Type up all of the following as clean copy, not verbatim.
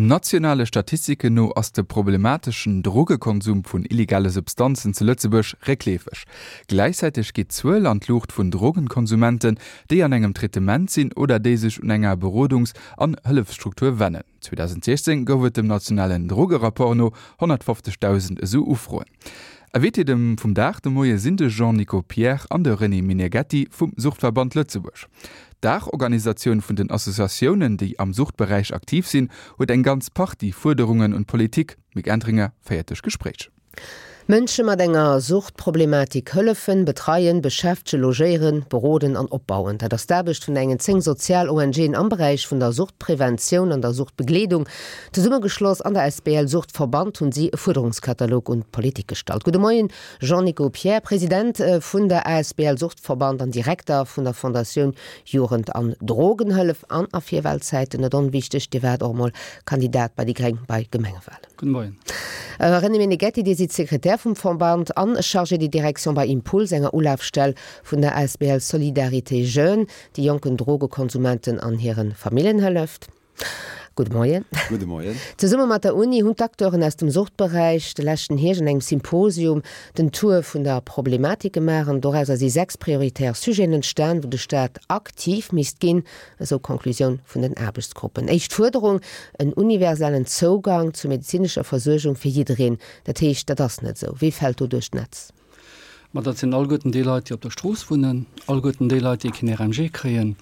Nationale Statistiken no ass de problemateschen Drogekonsum vun illegale Substanzen zu Lëtzebuerg réckleefeg. Gläichzäiteg geet d'Zuel an d'Luucht vun Drogenkonsumenten, déi an engem Traitement sinn oder déi sech un enger Berodungs an Hëllefsstruktur wennen. 2016 gouf et dem nationalen Drogerapport no 150.000 esou Ufroen. Invité dem vum Dag de Moie sinn de Jean-Nico Pierre an de René Meneghetti vum Suchtverband Lëtzebuerg. D'Daachorganisatioun vun den Associatiounen, déi am Suchtberäich aktiv sinn, huet eng ganz Partie Fuerderungen un d'Politik. D'Mick Entringer féiert duerch d'Gespréich. Mënsche mat enger Suchtproblematik hëllefen, betreien, beschäftegen, logéieren, beroden an opbauen. Dat ass d'Aarbecht vun engen 10 Sozial-ONGen am Beräich vun der Suchtpreventioun an der Suchtbegleedung. Zesummegeschloss an der asbl Suchtverband hunn si e Fuerderungskatalog un d'Politik gestallt. Gudde Moien Jean-Nico Pierre, President vun der asbl Suchtverband an Direkter vun der Fondatioun Jugend an Drogenhëllef an a Virwahlzäiten net onwichteg, Dir waart och emol Kandidat bei déi Gréng bei Gemengewahlen. Gudde Moien. René Meneghetti, Dir sidd Sekretär vum Verband an Chargé de direction bei Impuls, enger Ulafstell vun der asbl Solidarité Jeunes, déi jonken Drogekonsumenten an hire Familljen hëlleft. Gudde Moien. Gudde Moien. Zesumme mat der Uni hunn d'Acteuren aus dem Suchtberäich de leschten Hierscht an engem Symposium den Tour vun der Problematik gemaach an dorauser si 6 prioritär Sujeten entstan, wou de Staat aktiv misst ginn, esou d'Conclusioun vun den Aarbechtsgruppen. Éischt Fuerderung, en universellen Zougang zu medezinescher Versuergung fir jiddereen. Dat heescht, dat ass net esou. Wie fält do duerch d'Netz? Ma dat sinn alleguerten déi Leit, déi op der Strooss wunnen, alleguerten déi Leit, déi keen RMG kréien.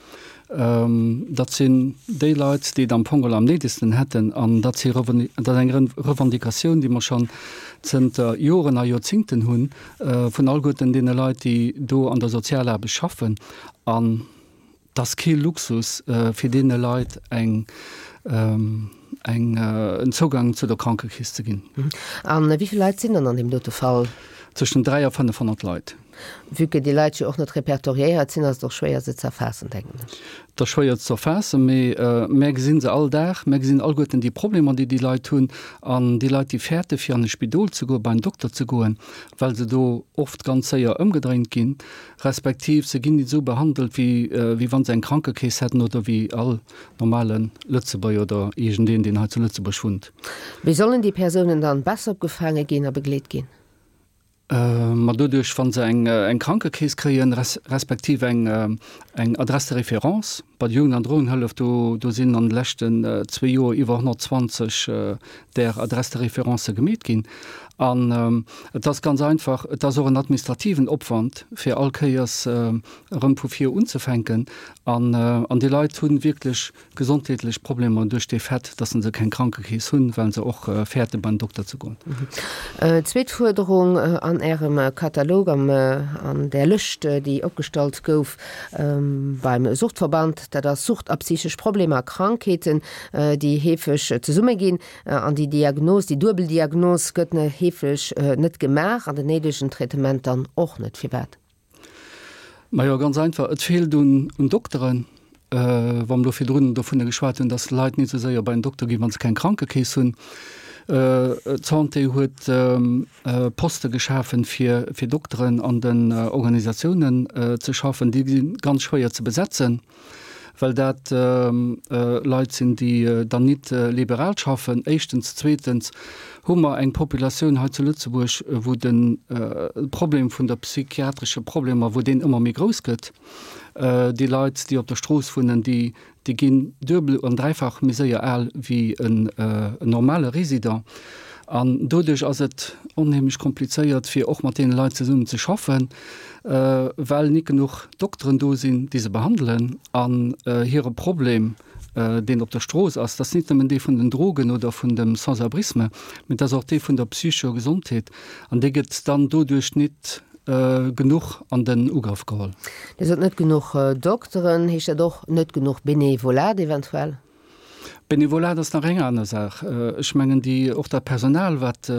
Dat sinn déi Leit, déi et am Fong geholl am néidegsten hätten. An dat si dat ass eng Revendicatioun, déi mer schonn zënter Joren a Joerzingten hunn, vun alleguerten deene Leit, déi do an der Sozialaarbecht schaffen. An 't ass kee Luxus, fir deene Leit eng, eng, en Zougang zu der Krankekeess ze ginn. A wéi vill Leit sinn dann an deem dote Fall? Zwëschen 3 a 500 Leit. Vue que déi Leit jo och net repertoriéiert sinn, ass et och schwéier se ze erfaassen, denken ech. Et ass schwéier ze erfaassen, mee mär gesinn se all Dag. Mär gesinn alleguerten déi Problemer, déi déi Leit hunn. An déi Leit, déi fäerte fir an e Spidol ze goen, bei en Dokter ze goen, well se do oft ganz séier ëmgedréint ginn, respektiv se ginn nit esou behandelt, wéi wéi wann se eng Krankekeess hätten oder wéi all normale Lëtzebuerger oder iergendeen, deen hei zu Lëtzebuerg wunnt. Wéi sollen déi Persounen dann besser opgefaange ginn a begleet ginn? Ma doduerch, wa se eng eng Krankekeess kréien, respektiv eng eng Adresse de référence bei der Jugend an Drogenhëllef, do do sinn an de leschten zwee Joer iwwer 120 där Adresse de référence gemeet ginn. An et ass ganz einfach, et ass och en administrativen Opwand, fir all Kéiers erëm vu vir unzefänken. An déi Leit hu wierklech gesondheetlech Problemer duerch dee Fait, dass se keng Krankekeess hunn, well se och fäerte beim Dokter ze goen. Zweet Fuerderung an Ärem Katalog, an där Lëscht, déi opgestallt gouf beim Suchtverband, dat ass Sucht a psychesch Problemer a Krankheeten, déi heefeg zesumme ginn. An déi Diagnos, déi duebel Diagnos gëtt heefeg net gemaach an den néidegen Traitement dann och net. Firwat? Majo, ganz einfach, et feelt un Dokteren. Wa mer do virdrun dovunner geschwat hunn, dass Leit net esou séier bei en Dokter ginn, wa se keng Krankekeess hunn. D'Santé huet Poste geschafen, fir Dokteren an den Organisatiounen ze schaffen. Déi si ganz schwéier ze besetzen. well dat Leit sinn, déi dann nit liberal schaffen, éischtens. Zweetens hu mer eng Populatioun hei zu Lëtzebuerg, wou de Problem vun der psychiatresche Problemer, wou deen ëmmer méi grouss gëtt. Déi Leit, déi op der Strooss wunnen, déi ginn duebel an dräifach méi séier al wéi en normale Résident. An doduerch ass et onheemlech komplizéiert, fir och mat deene Leit zesummen ze schaffen, well nit genuch Dokteren do sinn, déi se behandelen. An hire Problem, deen op der Strooss ass, dat ass nit nëmmen dee vun den Drogen oder vun dem Sans-abrisme, mee dat ass och dee vun der psychescher Gesondheet. An dee gëtt dann doduerch nit genuch an den Ugrëff geholl. Dir sot net genuch Dokteren. Heescht dat och net genuch Benevolat eventuell? Benevolat ass nach eng aner Saach. Ech mengen, déi, och dat Personal, wat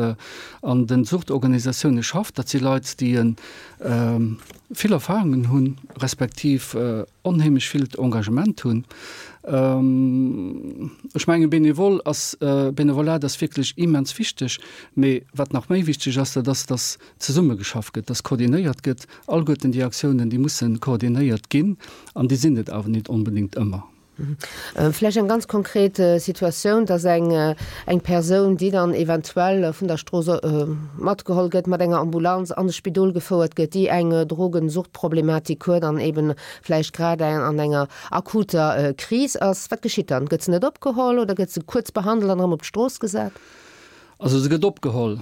an de Suchtorganisatioune schafft, dat si Leit, déi vill Erfahrungen hunn, respektiv onheemlech villt Engagement hunn. Ech mengen, Benevol ass, Benevolat ass wierklech immens wichteg. Mee wat nach méi wichteg ass, dat ass, dass zesummegeschafft gëtt, dass koordinéiert gëtt. Alleguerten déi Aktiounen, déi musse koordinéiert ginn an déi sinn et awer net onbedéngt ëmmer. Vläicht eng ganz konkret Situatioun, dass eng eng Persoun, déi dann eventuell vun der Strooss matgeholl gëtt, mat enger Ambulanz an de Spidol gefouert gëtt, déi eng Drogensuchtproblematik huet an eben vläicht grad an enger akuter Kris ass. Wat geschitt dann? Gëtt se net opgeholl oder gëtt se kuerz behandelt an erëm op d'Strooss gesat? Also se gëtt opgeholl.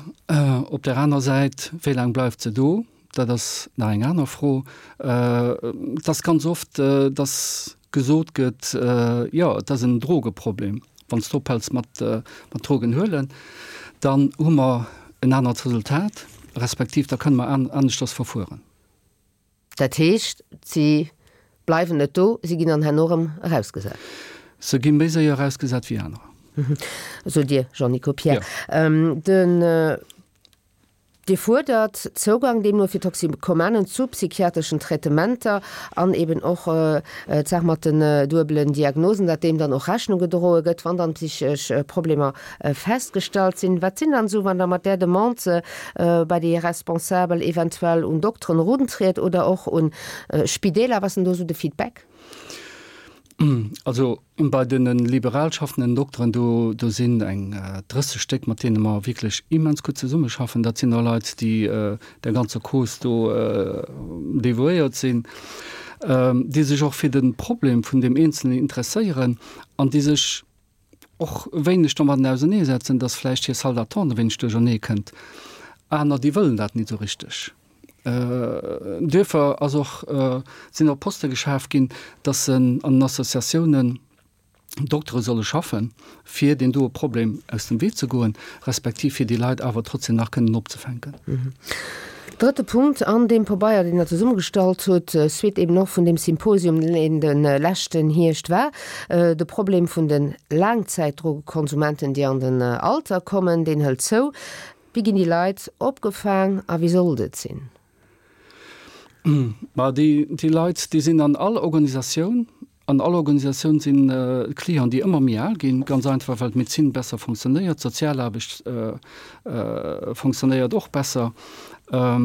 Op där aner Säit, wéi laang bleift se do? Dat ass nach eng aner Fro. Et ass ganz oft, dass gesot gëtt, jo, et ass en Drogeproblem. Wann s de ophäls mat Drogen huelen, dann hu mer en anert Resultat, respektiv da kënne mer aneschters verfueren. Dat heescht, si bleiwen net do, si ginn dann herno erëm erausgesat? Se gi méi séier erausgesat wéi anerer. Sot Dir, Jean-Nico Pierre. Den. Dir fuerdert Zougang deemno fir Toxikomanen zu psychiatreschen Traitementer an eben och d'Saach mat den duebelen Diagnosen, datt deem dann och Rechnung gedroe gëtt, wann dann psychesch Problemer festgestallt sinn. Wat sinn dann esou, wann Der mat där Demande bei déi Responsabel eventuell un Dokteren eruntriet oder och un Spideeler, wat ass denn do esou de Feedback? Also bei de liberal schaffenden Dokteren, do do sinn eng 30 Stéck, mat deene mer wierklech immens gutt zesummeschaffen. Dat sinn och Leit, déi der ganzer Cause do devouéiert sinn, déi sech och fir de Problem vun deem Eenzelnen interesséieren an déi sech och e wéineg domadden auserneesetzen, dass vläicht hir Salle d'attente e wéineg duerchernee kënnt. Aner, déi wëllen dat net esou richteg. Duerfir ass och, sinn och Poste geschaf ginn, dass se an den Associatiounen Doktere solle schaffen, fir deen doe Problem aus dem Wee ze goen, respektiv fir déi Leit awer trotzdem nach kënnen opzefänken. Drëtte Punkt an deem Pabeier, deen Der zesummegestallt hutt, suite eben och vun deem Symposium, deen de leschten Hierscht war, de Problem vun de Laangzäitdrogekonsumenten, déi an den Alter kommen, deen hëlt zou. Wéi ginn déi Leit opgefaang a wéi sollt et sinn? Ma déi, déi Leit, déi sinn an all Organisatioun. An all Organisatioun sinn Clienten, déi ëmmer méi al ginn, ganz einfach, well d'Medezin besser fonctionnéiert, d'Sozialaarbecht fonctionnéiert och besser. A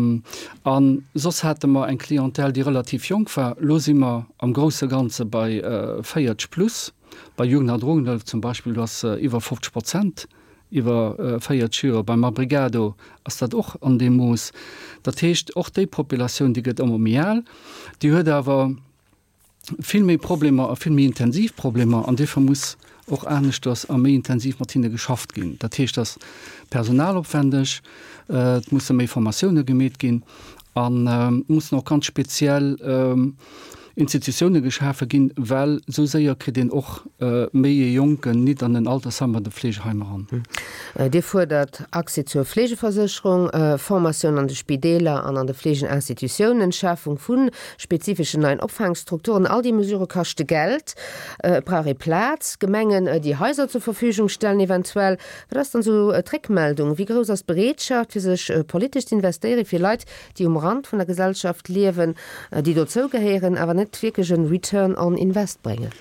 soss hate mer eng Clientèle, déi relativ jonk war. Elo si mer am grousse Ganze bei 40 plus. Bei Jugend an Drogenhëllef zum Beispill, do ass iwwer 50 Prozent iwwer 40 Joer. Beim Abrigado ass dat och an deem Mooss. Dat heescht, och déi Populatioun, déi gëtt ëmmer méi al, déi huet awer vill méi Problemer a vill méi intensiv Problemer an duerfir muss och aneschters a méi intensiv mat hinne geschafft ginn. Dat heescht, et ass personalopwendeg, et musse méi Formatioune gemeet ginn an et mussen och ganz speziell Institutioune geschafe ginn, well esou séier kritt een och méi ee Jonken nit an en Altersheim an e Fleegeheim eran. Dir fuerdert Accès zur Fleegeversécherung, Formatioun an de Spideeler an an de Fleegeninstitutiounen, Schafung vu spezifeschen neien Opfaangstrukturen. All déi Mesurë kaschte Geld. Et brauch ee Plaz, Gemengen, déi Haiser zur Verfügung stellen eventuell. Wat ass dann esou d'Réckmeldung? Wéi grouss ass d'Bereetschaft, fir sech politesch z'investéieren, fir Leit, déi um Rand vun der Gesellschaft liewen, déi dozou gehéieren, awer net wierklech en Return on Invest bréngen?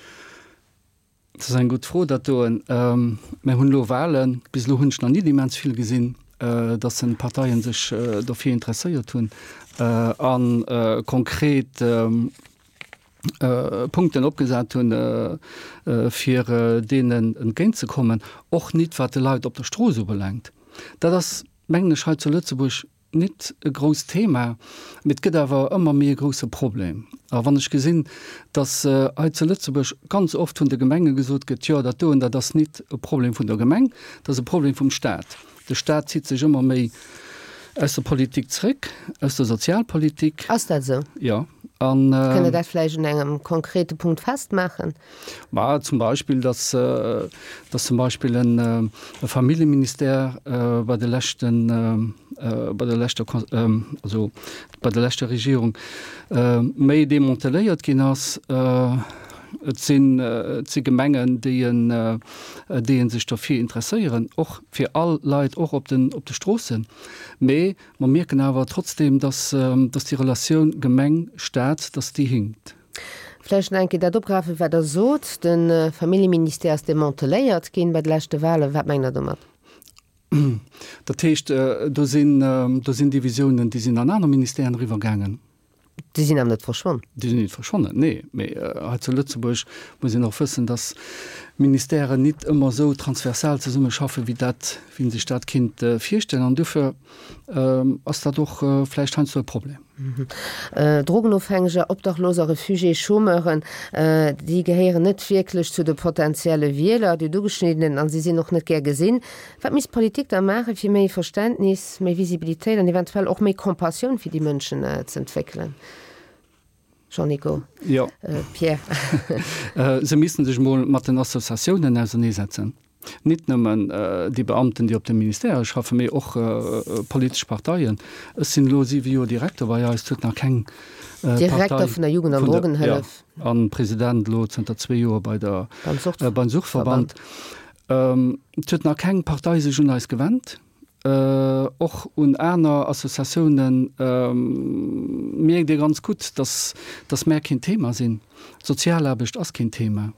Dat ass eng gutt Fro, dat doen. Mir hunn elo Wahlen. Bis elo hunn ech nach nit immens vill gesinn, datt den Parteien sech dofir interesséiert hunn a konkret Punkten opgesat hunn, fir deenen entgéintzekommen. Och nit wat de Leit op der Strooss ubelaangt. Dat ass, mengen ech, hei zu Lëtzebuerg Nit e grousst Thema, mee et gëtt awer ëmmer méi e grousse Problem. A wann ech gesinn, datt hei zu Lëtzebuerg ganz oft vun de Gemenge gesot gëtt, jo dat doen, dat ass nit e Problem vun der Gemeng, dat ass e Problem vum Staat. De Staat zitt sech ëmmer méi aus der Politik zréck, aus der Sozialpolitik. Ass dat esou? Jo. An. Kënnt Der dat vläicht un engem konkrete Punkt festmaachen? Ma zum Beispill, dass, dass zum Beispill en e Familljeministère bei de leschten, bei der leschter, also bei der leschter Regierung méi demanteléiert ginn ass. Et sinn, et si Gemengen, déi en, déi en sech derfir interesséieren, och fir all Leit, och op den, op de Stroossen. Mee mer mierken awer trotzdem, dass, dass déi Relatioun Gemeng-Staat, dass déi hinkt. Vläicht nach eng Kéier dat opgräifen, wat Der sot, De Familljeministère ass demanteléiert ginn bei de leschte Wahlen. Wat mengt Der domat? Dat heescht, do sinn, do sinn Divisiounen, déi sinn an aner Ministèren eriwwergaangen. Déi sinn awer net verschwonn. Déi sinn nit verschwonnen, nee. Mee hei zu Lëtzebuerg muss een och wëssen, datt Ministèren nit ëmmer esou transversal zesummeschaffen, wéi dat, wéi een sech dat kinnt virstellen. An dofir ass dat och vläicht heiansdo e Problem. Drogenofhängeger, Obdachloser, Refugiés, Chômeuren, déi gehéieren net wierklech zu de potentielle Wieler, déi Ugeschniddenen, a si sinn och net gär gesinn. Wat misst d'Politik da maachen, fir méi Verständnis, méi Visibilitéit an eventuell och méi Compassioun fir déi Mënschen ze entwéckelen? Jean-Nico, Jo. Pierre. Se missten sech emol mat den Associatiounen auserneesetzen. Nit nëmmen déi Beamten, déi op de Ministèrë schaffen, mee och politesch Parteien. Ech sinn elo siwe Joer Direkter bei eis, et huet nach keng Partei. Direkter vun der Jugend an Drogenhëllef. Jo, an President elo zënter zwee Joer bei der, beim Suchtverband. Et huet nach keng Partei sech un eis gewennt, och un aner Associatiounen. Mierkt ee ganz gutt, dass, dass mär keen Thema sinn. Sozialaarbecht ass keen Thema.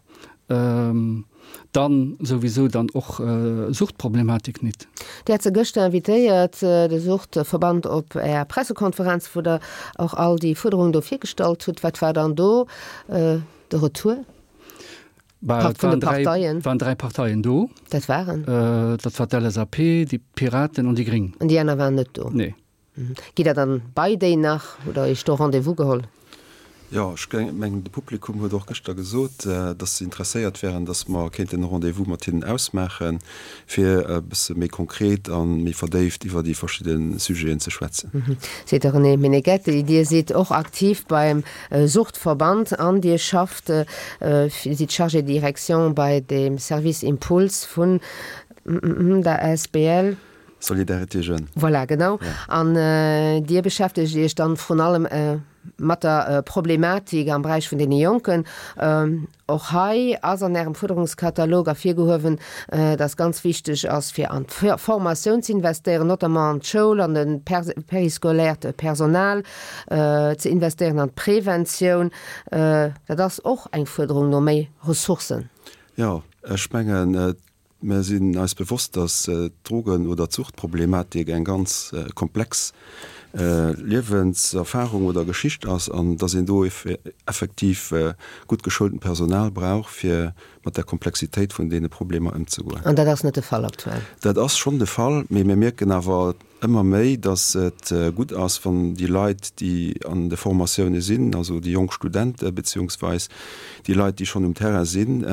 Dann souwisou dann och Suchtproblematik nit. Dir hat se gëschter invitéiert, de Suchtverband, op Är Pressekonferenz, wou Der och all déi Fuerderungen do virgestallt hutt. Wat war dann do de Retour? Bah, et waren dräi, waren dräi Parteien do. Dat waren? Dat war d'LSAP, déi Piraten an déi Gréng. An déi aner waren net do? Nee. Gitt Der dann bei déi nach oder Iech do Rendez-vous geholl? Jo, ech mengen, de Publikum huet och gëschter gesot, dass se interesséiert wären, dass mer kéinten e Rendez-vous mat hinnen ausmaachen, fir e bësse méi konkret a méi verdéift iwwer déi verschidde Sujeten ze schwätzen. Seet de René Meneghetti. Dir sidd och aktiv beim Suchtverband an Dir schafft, sidd Chargé de direction bei dem Service Impuls vun der asbl. Solidarité Jeunes. Voilà, genau. An Dir beschäftegt Iech dann vrun allem mat der Problematik am Beräich vun deene Jonken. Och hei ass an Ärem Fuerderungskatalog ervirgehuewen, dass ganz wichteg ass, fir an d'Formatioun ze investéieren, notamment an d'Schoul, an de périscolaire Personal ze investéieren, an d'Preventioun. Dat ass och eng Fuerderung no méi Ressourcen. Jo, ech mengen, Mer sinn eis bewosst, dass d'Drogen oder d'Suchtproblematik eng ganz komplex Liewenserfahrung oder Geschicht ass an dass een do effektiv gutt geschoultent Personal brauch, fir mat der Komplexitéit vun deene Problemer ëmzegoen. An dat ass net de Fall aktuell? Dat ass schonn de Fall, mee mir mierken awer ëmmer méi, dass et gutt ass, wann déi Leit, déi an de Formatioune sinn, also déi jonk Studente beziehungsweis déi Leit, déi schonn um Terrain sinn,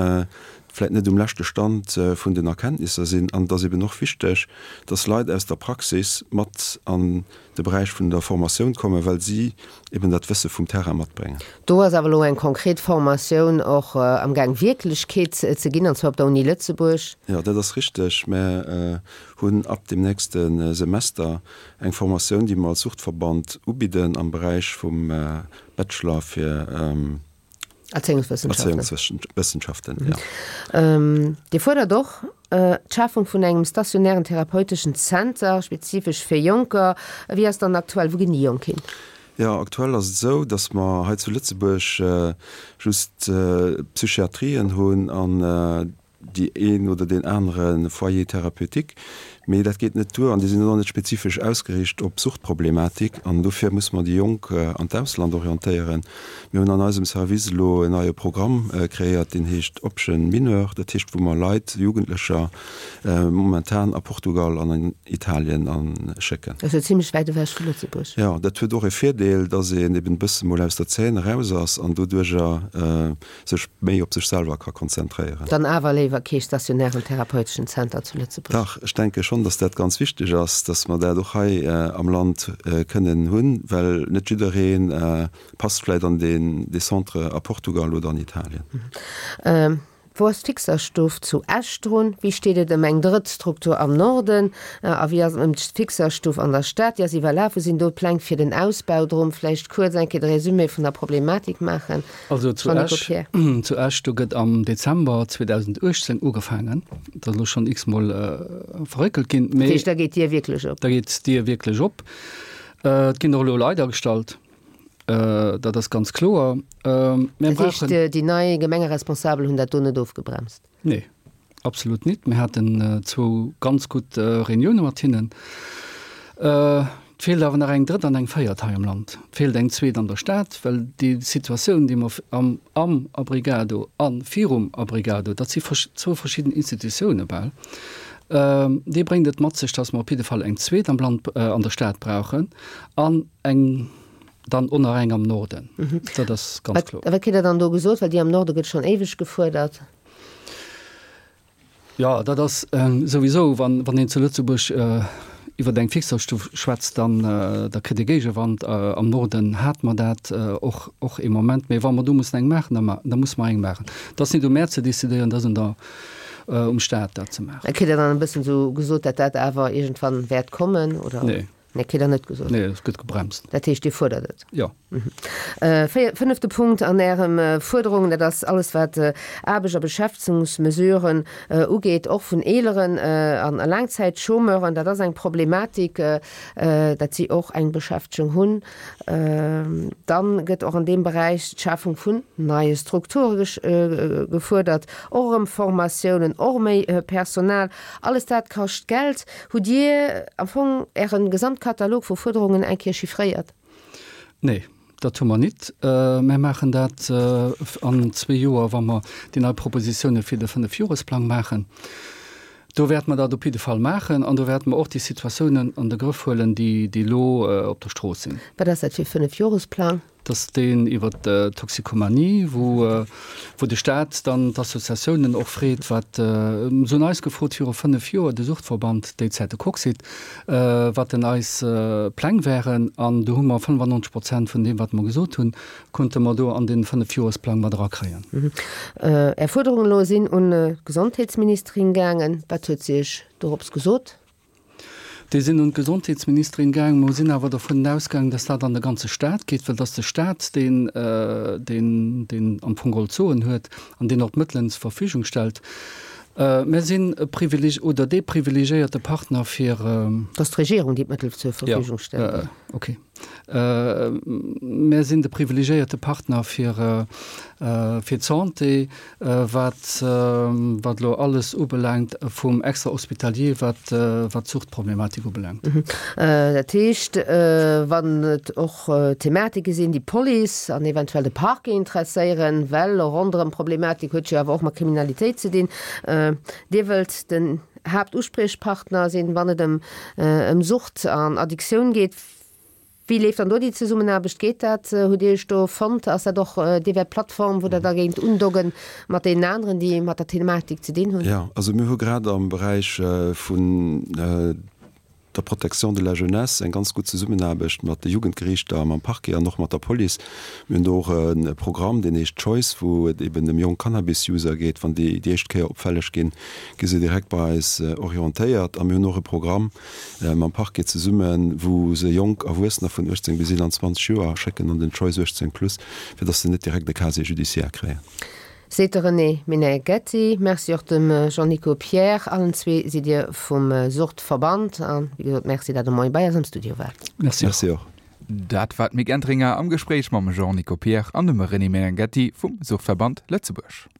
vläit net um leschte Stand vun den Erkenntnisser sinn. An et ass eben och wichteg, dass Leit aus der Praxis mat an de Beräich vun der Formatioun kommen, well si eben dat Wësse vum Terrain matbréngen. Do ass awer elo eng konkret Formatioun och amgaang Wierklechkeet ze ginn, an zwar op der Uni Lëtzebuerg. Jo, dat ass richteg. Mär hunn ab dem nächste Semester eng Formatioun, déi mer als Suchtverband ubidden am Beräich vum Bachelor fir Erzéiungswëssenschaften. Erzéiungswëssenschaften, ja. Dir fuerdert och d'Schafung vun engem stationären therapeuteschen Zenter, spezifesch fir Jonker. Wéi ass dann aktuell? Wou ginn déi Jonk hin? Jo, aktuell ass et esou, datt mer hei zu Lëtzebuerg just Psychiatrien hunn an déi een oder deen anere Foyer thérapeutique, mee dat geet net duer an déi sinn och net spezifesch ausgeriicht op Suchtproblematik an dofir musse mer déi Jonk an d'Ausland orientéieren. Mir hunn an eisem Service elo en neie Programm kreéiert, deen heescht Option Mineur, dat heescht wou mer Leit, Jugendlecher momentan a Portugal an an Italien a schécken. Dat ass jo zimlech wäit ewech vu Lëtzebuerg. Jo, dat huet och e Virdeel, dass een eben e bësse mol aus der Zeen eraus ass an doduerjer sech méi op sech selwer ka konzentréieren. Dann awer léiwer kee stationären therapeuteschen Zenter zu Lëtzebuerg? Dach, ech denke schonn, dass dat ganz wichteg ass, dass mer dat och hei am Land kënnen hunn, well net jidderee passt vläicht an deen dee Centre a Portugal oder an Italien. Wou ass d'Fixerstuff zu Esch drun? Wéi steet et ëm eng drëtt Struktur am Norden? A wéi ass et ëm d'Fixerstuff an der Stad? Déi ass iwwerlaf. Wou sinn do d'Pläng fir den Ausbau drun? Vläicht kuerz eng Kéier de Résumé vun der Problematik maachen. Also zu Esch, zu Esch, do gëtt am Dezember 2018 ugefaangen. Dat ass elo schonn x-mol verréckelt ginn. Dat heescht, da geet d'Dier wierklech op? Da geet d'Dier wierklech op. Et ginn och elo Leit agestallt, dat ass ganz kloer. Mir brauchen. Dat heescht, déi nei Gemengeresponsabel hunn dat do net ofgebremst? Nee, absolut nit. Mir haten zwou ganz gutt Reunioune mat hinnen. Et feelt awer nach eng drëtt an eng véiert hei am Land. Et feelt eng zweet an der Stad, well déi Situatioun, déi mer am am Abrigado a virum Abrigado, dat si zwou verschidden Institutioune bal, déi bréngt et mat sech, datt mer op jidde Fall eng zweet am Land, an der Stad brauchen an eng dann och nach eng am Norden. Dat ass ganz kloer. A wat kritt Der dann do gesot? Well déi am Norde gëtt schonn éiweg gefuerdert. Jo, dat ass souwisou, wann een zu Lëtzebuerg iwwer eng Fixerstuff schwätzt, dann da kritt ee Géigewand. Am Norden hate mer dat och och ee Moment. Mee wa mer do mussen eng maachen, da da musse mer eng maachen. Et ass net u mär ze decidéieren, et ass un der um Staat dat ze maachen. Kritt Der dann e bëssen esou gesot, datt dat awer iergendwann wäert kommen, oder? Nee. Nee, kritt Der net gesot. Nee, et gëtt gebremst. Dat heescht, Dir fuerdert et? Jo. Fënnefte Punkt an Ärem Fuerderungen, dat ass alles wat Aarbecht a Beschäftegungsmesuren ugeet, och vun eeleren a Laangzäitchômeuren. Dat ass eng Problematik, dat si och eng Beschäftegung hunn. Dann gëtt och an deem Beräich d'Schafung vun neie Strukture gefuerdert, och erëm Formatiounen, och méi Personal. Alles dat kascht Geld. Hutt Dir am Fong Äre Gesamtkatalog vu Fuerderungen eng Kéier chiffréiert? Nee, dat hu mer nit. Mär maachen dat an zwee Joer, wa mer déi nei Propositioune fir de Fënnefjoresplang maachen. Do wäerte mer dat op jidde Fall maachen an do wäerte mer och déi Situatiounen an de Grëff huelen, déi elo op der Strooss sinn. Wat ass dat fir e Fënnefjoresplang? Dat ass deen iwwer d'Toxikomanie, wou wou de Staat dann d'Associatiounen och freet, wat, se hunn eis gefrot viru 5 Joer, de Suchtverband, déi Zäit de Coxit, wat denn eis Pläng wären. An do hu mer 95 Prozent vun deem, wat mer gesot hunn, konnte mer do an dee Fënnefjoresplang mat erakréien. Är Fuerderungen elo sinn un d'Gesondheetsministerin gaangen. Wat huet si Iech dorops gesot? Déi sinn un d'Gesondheetsministerin gaang. Mer sinn awer dovun ausgaangen, dass dat an de ganze Stat geet, well et ass de Stat, deen, deen, deen am Fong geholl d'Soen huet an deen och d'Mëttelen zur Verfügung stellt. Mer sinn e privileg oder dee privilegiéierte Partner fir. Et ass d'Regierung, déi d'Mëttel zur Verfügung stellt. Jo, okay. Mär sinn de privilegiéierte Partner fir fir d'Santé, wat wat elo alles ubelaangt vum Extra-hospitalier, wat wat d'Suchtproblematik ubelaangt. Dat heescht, wann et och Thematike sinn, déi d'Police an eventuell de Parquet interesséieren, well ronderëm Problematik huet jo awer och mat Kriminalitéit ze dinn, Dir wëllt den Haaptuspriechpartner sinn, wann et ëm ëm Sucht an Addiktioun geet. Wéi leeft dann do déi Zesummenaarbecht? Geet dat? Hutt Dir Iech do fonnt? Ass dat och, Dir wäert d'Plattform, wou Der da géingt undoggen mat deenen aneren, déi mat der Thematik ze dinn hunn? Jo, also mir hu grad am Beräich vun der Protection de la jeunesse eng ganz gutt Zesummenaarbecht mat de Jugendgeriichter, mam Parquet an och mat der Police. Mir hunn do och e Programm, deen heescht Choice, wou et eben ëm jonk Cannabis-User geet. Wann déi déi éischt Kéier opfälleg ginn, gi se direkt bei eis orientéiert. A mir hunn och e Programm mam Parquet zesummen, wou se jonk Erwuessener vun 18 bis 21 Joer schécken an den Choice 18 plus, fir dass se net direkt e Casier judiciaire kréien. Seet de René Meneghetti. Merci och dem Jean-Nico Pierre. Allen zwee sidd Dir vum Suchtverband. A wéi gesot, Merci, dat Der moie bei eis am Studio waart. Merci och. Merci och. Dat war d'Mick Entringer am Gespréich mam Jean-Nico Pierre an dem René Meneghetti vum Suchtverband Lëtzebuerg.